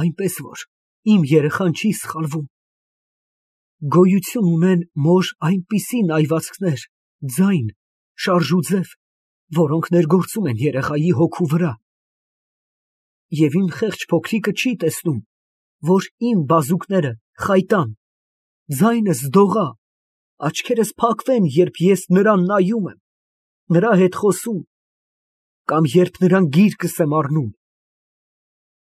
այնպես որ իմ երեխան չի սխալվում։ Գոյություն ունեն մոր այնպիսի նայվածքներ, ձայն, շարժուձև, որոնք ներգործում են երեխայի հոգու վրա։ Եվ իմ խեղճ փոքրիկը չի տեսնում, որ իմ բազուկները խայտան, ձայնս դողա, աչքերս փակվեն, երբ ես նրան նայում եմ, նրա հետ խոսում, կամ երբ նրան գիրկս եմ առնում։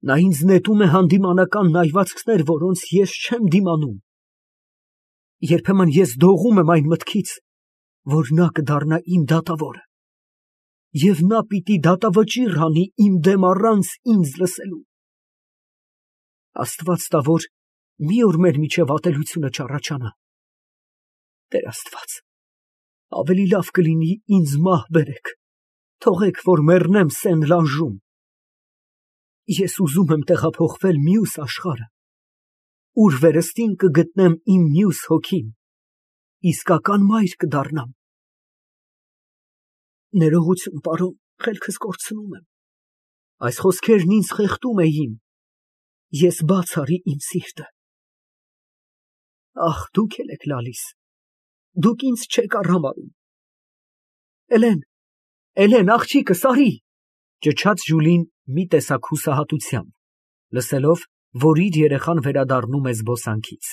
Նա ինձ նետում է հանդիմանական նայվածքներ, որոնց ես չեմ դիմանում։ Երբեմն ես դողում եմ այն մտքից, որ նա կդառնա իմ դատավորը, և նա պիտի դատավճիռ հանի իմ դեմ առանց ինձ լսելու։ Աստված տա, որ մի օր մեր միջև ատելությունը չառաջանա։ Տեր Աստված, ավելի լավ կլինի ինձ մահ բերեք, թողեք, որ մեռնեմ սեն լանժում։ Ես ուզում եմ տեղափոխվել մյուս աշխարհը, ուր վերստին կգտնեմ իմ մյուս հոգին, իսկական մայր կդառնամ։ Ներողություն, պարոն, խելքս կորցնում եմ։ Այս խոսքերն ինձ խեղդում էին։ Ես բաց արի իմ սիրտը։ Ահ, դուք էլ եք լալիս։ Դուք ինձ չեք արհամարհում։ Էլեն, աղջիկս, արի, ճչաց Ժուլին մի տեսակ հուսահատությամբ, լսելով, որ իր երեխան վերադառնում է զբոսանքից։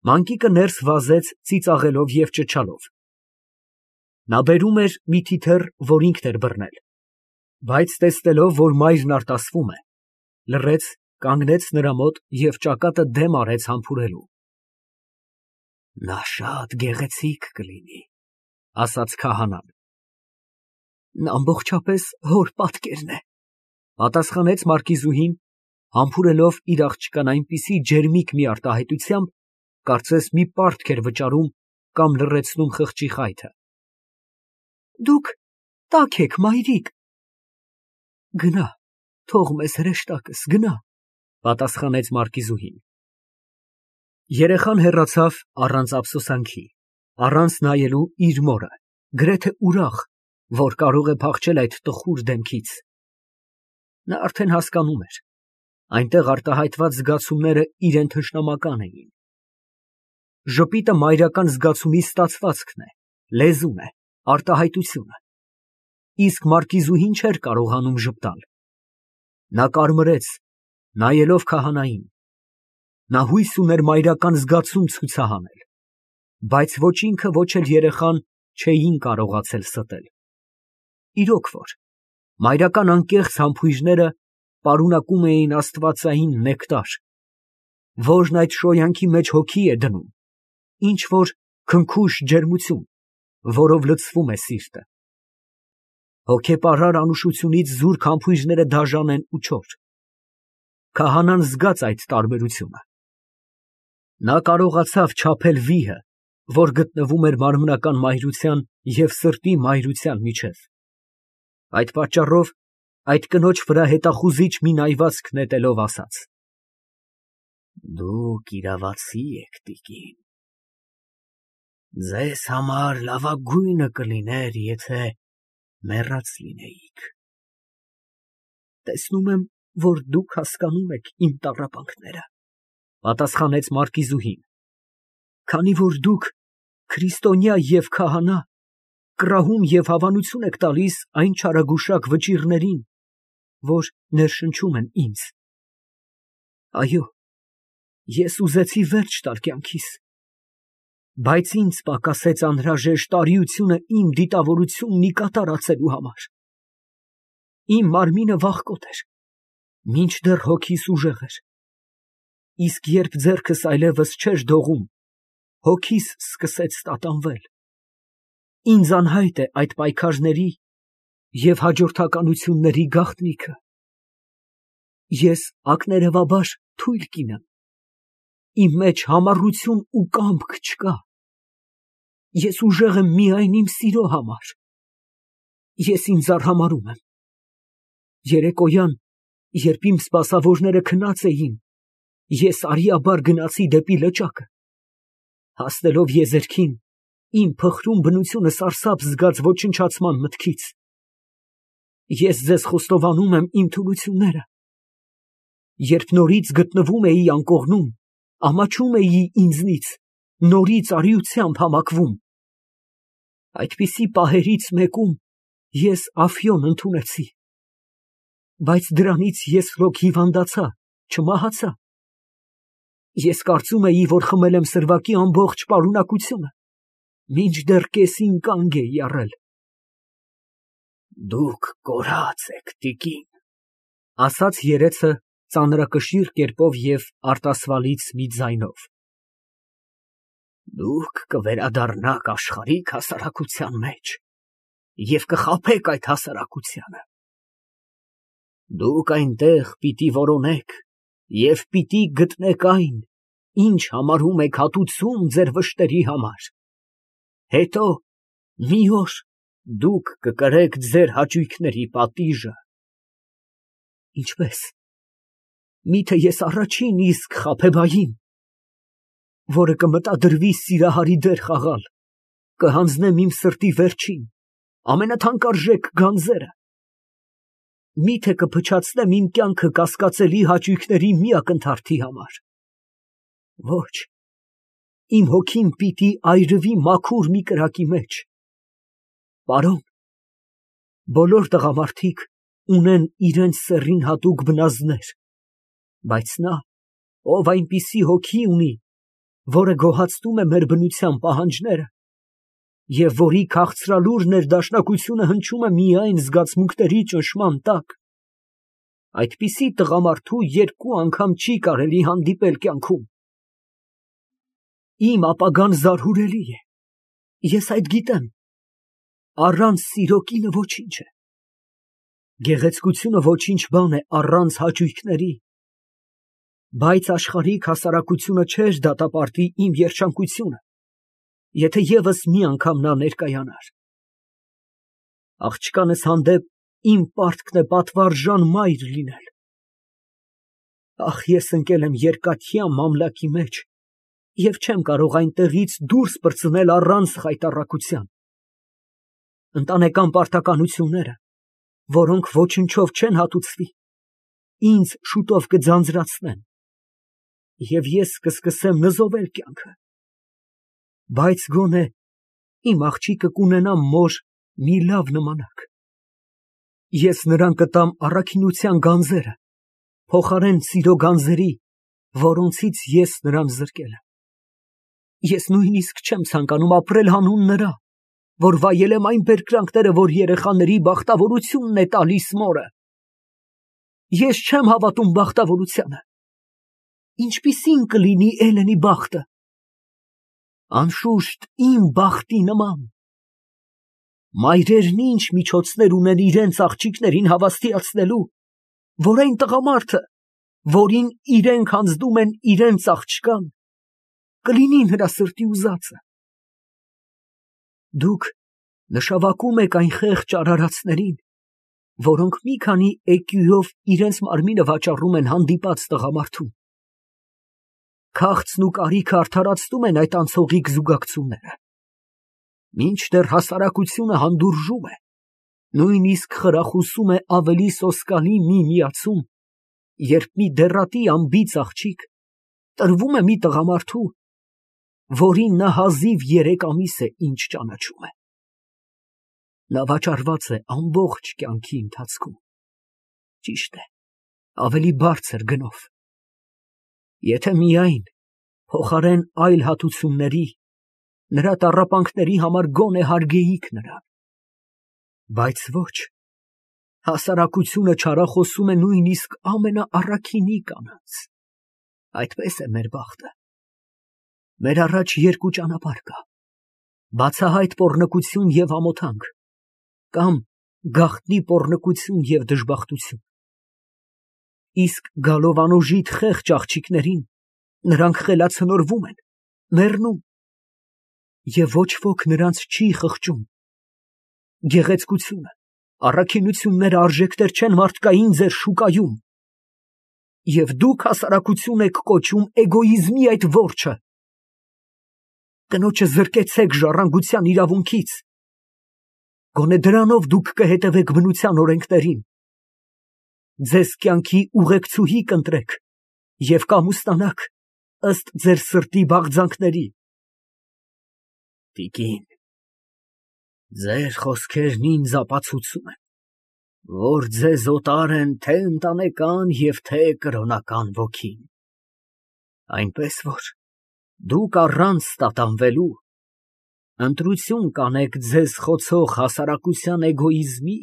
Մանկիկը ներս վազեց ծիծաղելով և ճչալով։ Նա բերում էր մի թիթեռ, որ ինքն էր բռնել, բայց տեսնելով, որ մայրն արտասվում է, լռեց, կանգնեց նրա մոտ և ճակատը դեմ արեց համբուրելու։ Նա շատ գեղեցիկ կլինի, ասաց քահանան։ Նա ամբողջապես հոր պատկերն է, պատասխանեց մարկիզուհին, համբուրելով իր աղջկան այնպիսի ջերմիկ մի արտահայտությամբ, կարծես մի պարտք էր վճարում կամ լռեցնում խղճի խայթը։ Դուք տաք եք, մայրիկ։ Գնա, թող մեզ հրեշտակս, գնա, պատասխանեց մարկիզուհին։ Երեխան հեռացավ առանց ափսոսանքի, առանց նայելու իր մորը, գրեթե ուրախ, որ կարող է փախչել այդ տխուր դեմքից։ Նա արդեն հասկանում էր, այնտեղ արտահայտված զգացումները իրան թշնամական էին։ Ժպիտը մայրական զգացումի ստացվածքն է, լեզուն է, արտահայտությունը։ Իսկ մարկիզուհին չէր կարողանում ժպտալ։ Նա կարմրեց, նայելով քահանային։ Նա հույս ուներ մայրական զգացում ցուցահանել, բայց ոչ ինքը, ոչ էլ երեխան չէին կարողացել ստել։ Իրոք որ, մայրական անկեղծ համբույրները պարունակում էին աստվածային նեկտար, որն այդ շոյանքի մեջ հոգի է դնում, ինչ֊որ քնքուշ ջերմություն, որով լցվում է սիրտը։ Հոգեպարար անուշությունից զուրկ համբույրները դաժան են ու չոր։ Քահանան զգաց այդ տարբերությունը։ Նա կարողացավ չափել վիհը, որ գտնվում էր մարմնական մայրության և սրտի մայրության միջև։ Այդ պատճառով այդ կնոջ վրա հետախուզիչ մի նայվածք նետելով ասաց. Դուք իրավացի եք, տիկին։ Ձեզ համար լավագույնը կլիներ, եթե մեռած լինեիք։ Տեսնում եմ, որ դուք հասկանում եք իմ տառապանքները, պատասխանեց մարկիզուհին, քանի որ դուք քրիստոնյա և քահանա, կռահում և հավանություն եք տալիս այն չարագուշակ վճիռներին, որ ներշնչում են ինձ։ Այո, ես ուզեցի վերջ տալ կյանքիս, բայց ինձ պակասեց անհրաժեշտ արիությունը իմ դիտավորությունն ի կատարածելու համար։ Իմ մարմինը վախկոտ էր, մինչդեռ հոգիս ուժեղ էր, իսկ երբ ձեռքս այլևս չէր դողում, հոգիս սկսեց տատանվել։ Ինձ անհայտ է այդ պայքարների և հաջորդականությունների գաղտնիքը։ Ես ակներևաբար թույլ կին եմ, իմ մեջ համառություն ու կամք չկա։ Ես ուժեղ եմ միայն իմ սիրո համար։ Ես ինձ արհամարհում եմ։ Երեկոյան, երբ իմ սպասավորները քնած էին, ես արիաբար գնացի դեպի լճակը։ Հասնելով եզերքին, իմ փխրուն բնությունը սարսափ զգաց ոչնչացման մտքից։ Ես ձեզ խոստովանում եմ իմ թուլությունները։ երբ նորից գտնվում էի անկողնում, ամաչում էի ինձնից, նորից արիությամբ համակվում։ Այդպիսի պահերից մեկում ես Ափիոն ընդունեցի, բայց դրանից ես հոգ հիվանդացա, չմահացա։ Ես կարծում էի, որ խմել եմ սրվակի ամբողջ պարունակությունը, մինչդեռ կեսին կանգ էի առել։ Դուք կորած եք, տիկին, ասաց երեցը ծանրակշիռ կերպով և արտասվալից մի ձայնով։ Դուք կվերադառնաք աշխարհիկ հասարակության մեջ և կխաբեք այդ հասարակությանը։ Դուք այնտեղ պիտի որոնեք և պիտի գտնեք այն, ինչ համարում եք հատուցում ձեր վշտերի համար։ Հետո մի օր դուք կկրեք ձեր հաճույքների պատիժը։ Ինչպե՞ս։ Միթե ես առաջին իսկ խաբեբային, որը կմտադրվի սիրահարի դեր խաղալ, կհանձնեմ իմ սրտի վերջին, ամենաթանկարժեք գանձերը։ Միթե կփչացնեմ իմ կյանքը կասկածելի հաճույքների մի ակնթարթի համար։ Ոչ, իմ հոգին պիտի այրվի մաքուր մի կրակի մեջ։ Պարոն, բոլոր տղամարդիկ ունեն իրենց սեռին հատուկ բնազդներ, բայց նա, ով այնպիսի հոգի ունի, որը գոհացնում է մեր բնության պահանջները, և որի քաղցրալուր ներդաշնակությունը հնչում է միայն զգացմունքների ճնշման տակ, այդպիսի տղամարդու երկու անգամ չի կարելի հանդիպել կյանքում։ Իմ ապագան զարհուրելի է, ես այդ գիտեմ, առանց սիրո կինը ոչինչ է։ Գեղեցկությունը ոչինչ բան է առանց հաճույքների, բայց աշխարհիկ հասարակությունը չէր դատապարտի իմ երջանկությունը, եթե ևս մի անգամ նա ներկայանար։ Աղջկանս հանդեպ իմ պարտքն է պատվարժան մայր լինել։ Ախ, ես ընկել եմ երկաթյա մամլակի մեջ և չեմ կարող այնտեղից դուրս պրծնել առանց խայտառակության։ Ընտանեկան պարտականությունները, որոնք ոչնչով չեն հատուցվի, ինձ շուտով կձանձրացնեն, և ես կսկսեմ նզովել կյանքը։ Բայց գոնե իմ աղջիկը կունենա մոր մի լավ նմանակ։ Ես նրան կտամ առաքինության գանձերը, փոխարեն սիրո գանձերի, որոնցից ես նրան զրկել եմ։ Ես նույնիսկ չեմ ցանկանում ապրել հանուն նրա, որ վայելեմ այն բերկրանքները, որ երեխաների բախտավորությունն է տալիս մորը։ Ես չեմ հավատում բախտավորությանը։ Ինչպիսին կլինի Էլենի բախտը։ Անշուշտ իմ բախտի նման։ Մայրերն ինչ միջոցներ ունեն իրենց աղջիկներին հավաստիացնելու, որ այն տղամարդը, որին իրենք հանձնում են իրենց աղջկան, կլինի նրա սրտի ուզածը։ Դուք նշավակում եք այն խեղճ արարածներին, որոնք մի քանի էկյուով իրենց մարմինը վաճառում են հանդիպած տղամարդուն։ Քաղցն ու կարիքը արդարացնում են այդ անցողիկ զուգակցությունները, մինչդեռ հասարակությունը հանդուրժում է, նույնիսկ խրախուսում է ավելի սոսկալի մի միացում, երբ մի դեռատի անբիծ աղջիկ տրվում է մի տղամարդու, որին նա հազիվ 3 ամիս է ինչ ճանաչում է։ Նա վաճառված է ամբողջ կյանքի ընթացքում, ճիշտ է, ավելի բարձր գնով։ Եթե միայն փոխարեն այլ հատուցումների նրա տառապանքների համար գոնե հարգեիք նրան։ Բայց ոչ, հասարակությունը չարախոսում է նույնիսկ ամենաառաքինի կանանց։ Այդպես է մեր բախտը։ Մեր առաջ երկու ճանապարհ կա. բացահայտ պոռնկություն և ամոթանք, կամ գաղտնի պոռնկություն և դժբախտություն։ Իսկ գալով անուժիտ խեղճ աղջիկներին, նրանք խելացնորվում են, մեռնում, և ոչ ոք նրանց չի խղճում։ Գեղեցկությունը, առաքինությունները արժեքներ չեն մարդկային ձեր շուկայում, և դուք հասարակություն եք կոչում էգոիզմի այդ որջը։ Կնոջը զրկեցեք ժառանգության իրավունքից, գոնե դրանով դուք կհետևեք բնության օրենքներին։ ձեզ կյանքի ուղեկցուհի կընտրեք և կամուստանաք ըստ ձեր սրտի բաղձանքների։ Տիկին, ձեր խոսքերն ինձ ապացուցում են, որ ձեզ օտար են թե ընտանեկան և թե կրոնական ոգին, այնպես որ դուք առանց տատանվելու ընտրություն կանեք ձեզ խոցող հասարակության էգոիզմի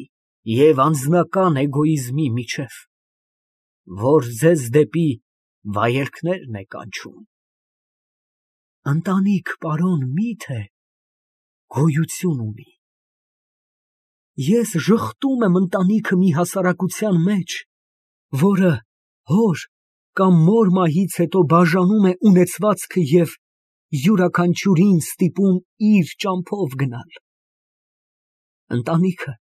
և անձնական էգոիզմի միջև, որ ձեզ դեպի վայելքներն է կանչում։ Ընտանիք, պարոն, մի՞թե գոյություն ունի։ Ես ժխտում եմ ընտանիքը մի հասարակության մեջ, որը հոր կամ մոր մահից հետո բաժանում է ունեցվածքը և յուրաքանչյուրին ստիպում իր ճամփով գնալ։ Ընտանիքը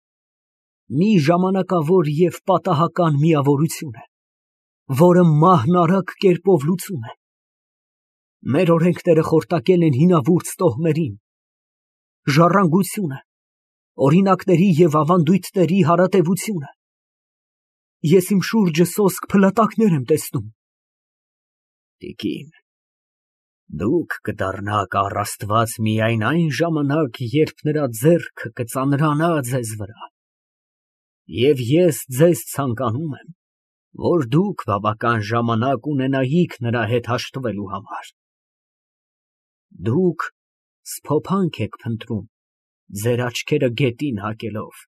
մի ժամանակավոր և պատահական միավորություն է, որը մահն արագ կերպով լուծում է։ Մեր օրենքները խորտակել են հինավուրց տոհմերին, ժառանգությունը, օրինակների և ավանդույթների հարատևությունը։ Ես իմ շուրջը սոսկ փլատակներ եմ տեսնում։ Տիկին, դուք կդառնաք առ Աստված միայն այն ժամանակ, երբ նրա ձեռքը կծանրանա ձեզ վրա, և ես ձեզ ցանկանում եմ, որ դուք բավական ժամանակ ունենայիք նրա հետ հաշտվելու համար։ Դուք սփոփանք եք փնտրում, ձեր աչքերը գետին հակելով,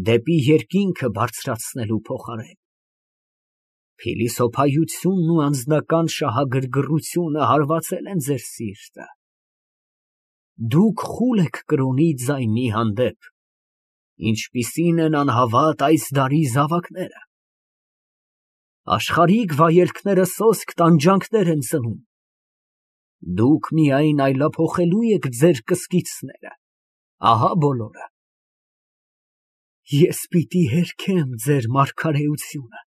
դեպի երկինքը բարձրացնելու փոխարեն։ Փիլիսոփայությունն ու անձնական շահագրգռությունը հարվածել են ձեր սիրտը։ Դուք խուլ եք կրոնի ձայնի հանդեպ, ինչպիսին են անհավատ այս դարի զավակները։ Աշխարհիկ վայելքները սոսկ տանջանքներ են ծնում։ Դուք միայն այլափոխելու եք ձեր կսկիցները, ահա բոլորը։ Ես պիտի հերքեմ ձեր մարգարեությունը,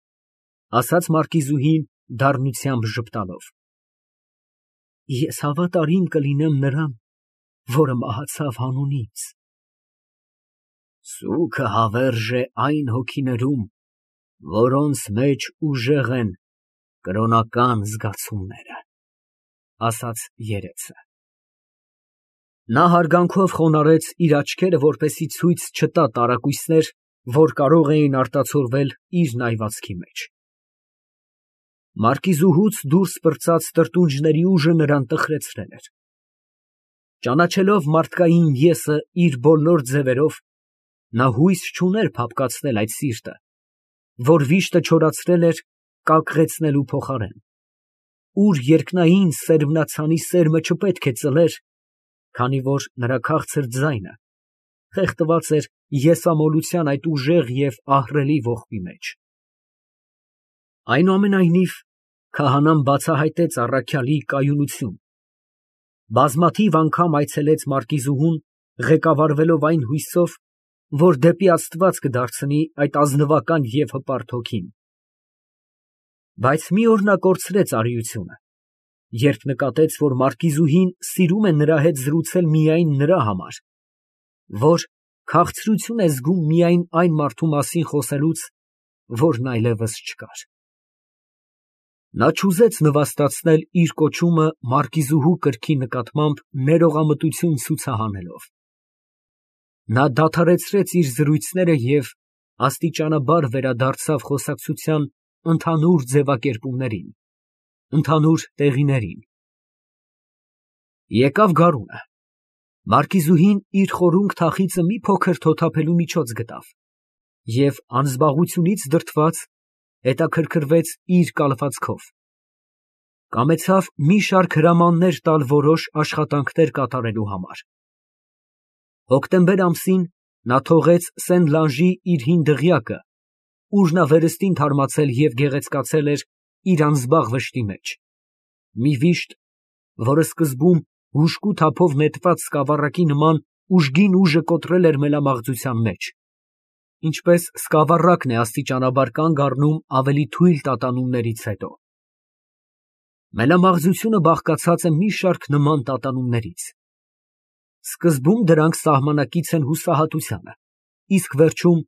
ասաց մարկիզուհին դառնությամբ ժպտալով։ Ես հավատարիմ կլինեմ նրան, որը մահացավ հանուն ինձ։ Սուգը հավերժ է այն հոգիներում, որոնց մեջ ուժեղ են կրոնական զգացումները, ասաց երեցը։ Նա հարգանքով խոնարհեց իր աչքերը, որպեսզի ցույց չտա տարակույսներ, որ կարող էին արտացոլվել իր նայվածքի մեջ։ Մարկիզուհուց դուրս պրծած տրտունջների ուժը նրան տխրեցրել էր։ Ճանաչելով մարդկային եսը իր բոլոր ձևերով, նա հույս չուներ փափկացնել այդ սիրտը, որ վիշտը չորացրել էր կակղեցնելու փոխարեն, ուր երկնային սերմնացանի սերմը չպետք է ծլեր, քանի որ նրա քաղցր ձայնը խեղդված էր եսամոլության այդ ուժեղ և ահռելի ողբի մեջ։ Այնուամենայնիվ, քահանան բացահայտեց առաքյալի կայունություն, բազմաթիվ անգամ այցելեց մարկիզուհուն, ղեկավարվելով այն հույսով, որ դեպի Աստված կդարձնի այդ ազնվական և հպարտ հոգին։ Բայց մի օր նա կորցրեց արիությունը, երբ նկատեց, որ մարկիզուհին սիրում է նրա հետ զրուցել միայն նրա համար, որ քաղցրություն է զգում միայն այն մարդու մասին խոսելուց, որն այլևս չկար։ Նա չուզեց նվաստացնել իր կոչումը մարկիզուհու կրքի նկատմամբ ներողամտություն ցուցահանելով։ Նա դադարեցրեց իր զրույցները և աստիճանաբար վերադարձավ խոսակցության ընդհանուր ձևակերպումներին, ընդհանուր տեղիներին։ Եկավ գարունը։ Մարկիզուհին իր խորունգ թախիծը մի փոքր թոթափելու միջոց գտավ և անզբաղությունից դրդված հետաքրքրվեց իր կալվածքով, կամեցավ մի շարք հրամաններ տալ որոշ աշխատանքներ կատարելու համար։ Հոկտեմբեր ամսին նա թողեց Սեն֊Լանժի իր հին դղյակը, ուր նա վերստին թարմացել և գեղեցկացել էր իր անզբաղ վշտի մեջ, մի վիշտ, որը սկզբում հուժկու թափով նետված սկավառակի նման ուժգին ուժը կոտրել էր մելամաղձության մեջ, ինչպես սկավառակն է աստիճանաբար կանգ առնում ավելի թույլ տատանումներից հետո։ Մելամաղձությունը բաղկացած է մի շարք նման տատանումներից։ Սկզբում դրանք սահմանակից են հուսահատությանը, իսկ վերջում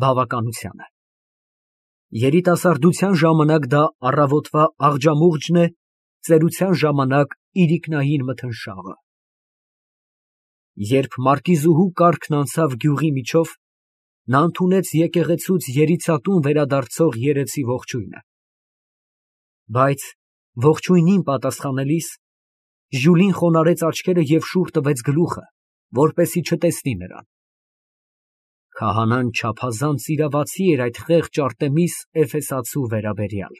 բավականությանը։ Երիտասարդության ժամանակ դա առավոտվա աղջամուղջն է, ծերության ժամանակ իրիկնային մթնշաղը։ Երբ մարկիզուհու կառքն անցավ գյուղի միջով, նա ընդունեց եկեղեցուց երիցատուն վերադարձող երեցի ողջույնը, բայց ողջույնին պատասխանելիս Ժյուլին խոնարհեց աչքերը և շուռ տվեց գլուխը, որպեսզի չտեսնի նրան։ Քահանան չափազանց իրավացի էր այդ խեղճ Արտեմիս Էֆեսացու վերաբերյալ։